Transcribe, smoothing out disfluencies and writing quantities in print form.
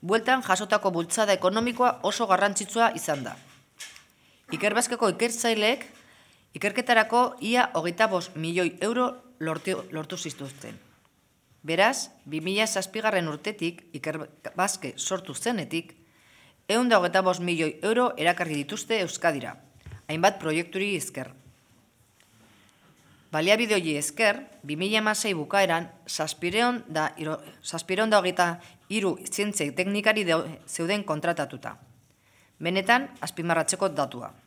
bueltan jasotako bultzada ekonomikoa oso garrantzitsua izan da. Ikerbasqueko ikertzaileek ikerketarako ia 25 milioi euro lortu zituzten. Beraz, 2007 urtetik Ikerbasque sortu zenetik, 125 milioi euro erakarri dituzte Euskadira, hainbat proiekturi esker. Baliabide hori esker, 2006 bukaeran, 723 zientzia teknikari zeuden kontratatuta. Benetan, azpimarratzeko datua.